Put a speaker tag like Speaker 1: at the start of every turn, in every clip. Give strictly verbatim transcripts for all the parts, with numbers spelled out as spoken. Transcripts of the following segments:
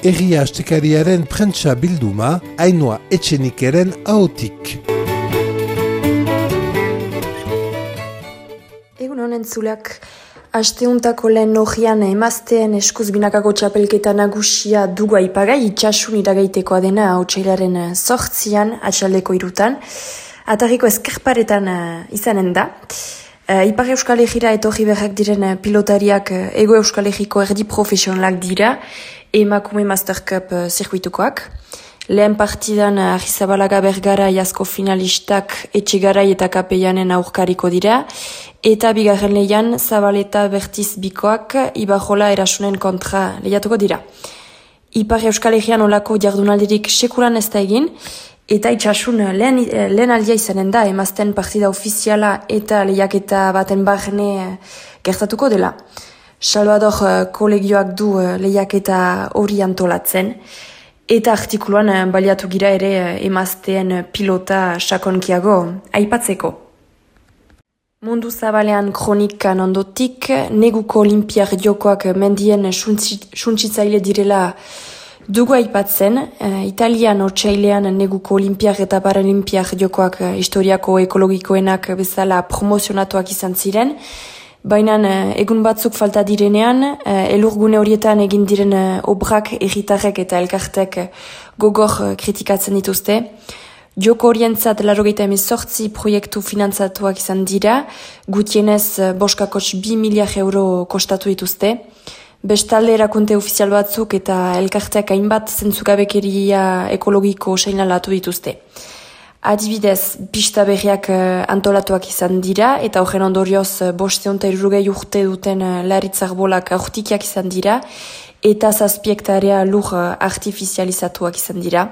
Speaker 1: Egia Astekariaren prentsa bilduma, Ainhoa Etxenikeren ahotik.
Speaker 2: Egun honen zulak, asteuntako lehen nogian emazteen eskuz binakako txapelketa nagusia dugu aipagai, itxasun iragaitekoa dena otsailaren zortzian, atxaldeko irutan, atarriko ezkerparetan izanen da. Uh, Ipar Euskal Herriera etorri berrak diren uh, pilotariak uh, Ego Euskal Herriko erdi profesionalak dira, emakume Master Cup uh, zirkuitukoak. Lehen partidan uh, Arrizabalaga Bergara jasko finalistak Etxegarai eta Kapeianen aurkariko dira, eta bigarren lehian Zabaleta Bertiz Bikoak Ibajola Erasunen kontra lehiatuko dira. Ipar Euskal Herrian olako jardunaldirik sekulan ez da egin, eta itxasun lehen, lehen aldia izanen da, emazten partida ofiziala eta lehiaketa baten barne gertatuko dela. Salvador kolegioak du lehiaketa hori antolatzen, eta artikuluan baliatu gira ere emazteen pilota sakonkiago aipatzeko. Mundu zabalean kronikan ondotik, neguko olimpiar jokoak mendien suntsitzaile direla dugu aipatzen, uh, Italian otsailean neguko olimpiak eta paralimpiak jokoak uh, historiako ekologikoenak bezala promozionatuak izan ziren, baina uh, egun batzuk falta direnean, uh, elurgune horietan egin diren uh, obrak erritarrek eta elkartek uh, gogor uh, kritikatzen dituzte. Joko horientzat laurogeita hemezortzi proiektu finantzatuak izan dira, gutienez uh, boskakots bi miliar euro kostatu dituzte. Bestalde erakunte ofizial batzuk eta elkarteak hainbat zentzugabekeria ekologiko seinalatu dituzte. Adibidez, pista berriak antolatuak izan dira eta horren ondorioz bosteun eta irurogei urte duten laritzarbolak aurtikiak izan dira eta zazpiektarea lur artifizializatuak izan dira.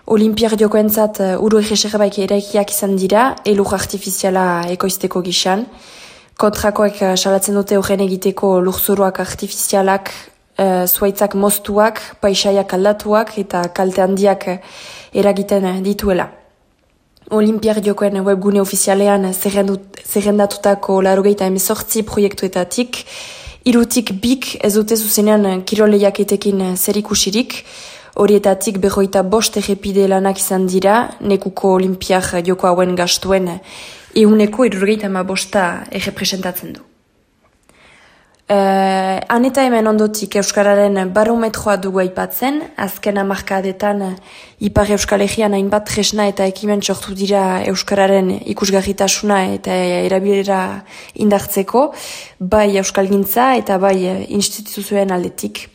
Speaker 2: Olimpiar jokoentzat uru egeserbaik eraikiak izan dira, elur artifiziala ekoizteko gisan. Kontrakoek salatzen dute horren egiteko lurzoruak artifizialak, e, zuaitzak moztuak, paisaiak aldatuak eta kalte handiak eragiten dituela. Olimpiar jokoen webgune ofizialean zerrendatutako laurogeita hemezortzi proiektuetatik, irutik bik ez dute zuzenean kiroleiaketekin zerikusirik, horietatik berroita bost errepide lanak izan dira, nekuko olimpiar joko hauen gastuen euneko irurgeita ama bosta errepresentatzen du. Uh, han eta hemen ondotik Euskararen barometroa dugu aipatzen, azken hamarkadetan Ipar Euskal Herrian hainbat tresna eta ekimen sortu dira Euskararen ikusgarritasuna eta erabilera indartzeko, bai euskalgintza eta bai instituzioen aldetik.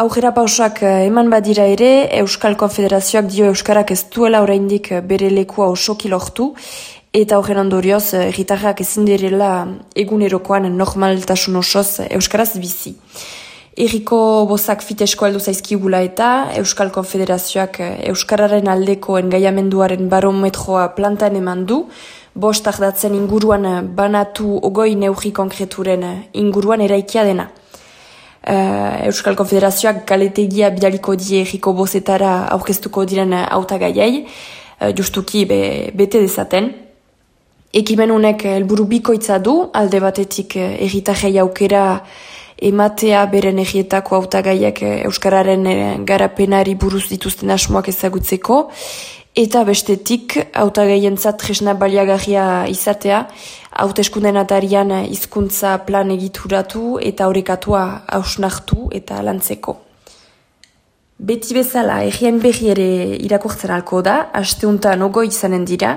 Speaker 2: Aurrera pausak eman badira ere, Euskal Konfederazioak dio Euskarak ez duela oraindik bere lekua osoki lortu, eta horren ondorioz, herritarrak ezin direla egunerokoan normaltasun osoz Euskaraz bizi. Herriko bozak fitesko heldu zaizkigula eta Euskal Konfederazioak Euskararen aldeko engaiamenduaren barometroa plantan eman du, bost ardatzen inguruan banatu ogoi neurri konkreturen inguruan eraikia dena. Uh, Euskal Konfederazioak galetegia bidaliko die herriko bozetara aurkeztuko diren hautagaiei, uh, justuki be, bete dezaten. Ekimen honek helburu bikoitza du, alde batetik herritarrei aukera ematea beren herrietako hautagaiak Euskararen garapenari buruz dituzten asmoak ezagutzeko, eta bestetik hautagaientzat tresna baliagarria izatea, hauteskunden atarian hizkuntza plan egituratu eta orekatua hausnartu eta lantzeko. Beti bezala, herrien berri ere irakurtzen alko da, asteuntan ogoi izanen dira,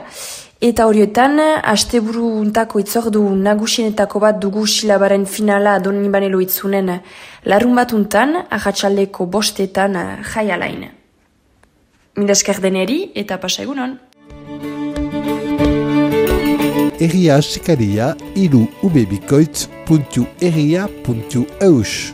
Speaker 2: eta horietan, asteburu untako itzordu nagusienetako bat dugu silabaren finala Donibane Loitzunen larun batuntan, ahatsaldeko bostetan jai alain. Mindasker deneri eta pasa egunon.
Speaker 1: Egia Astekaria iru ubebikoitz puntu egia puntu eus.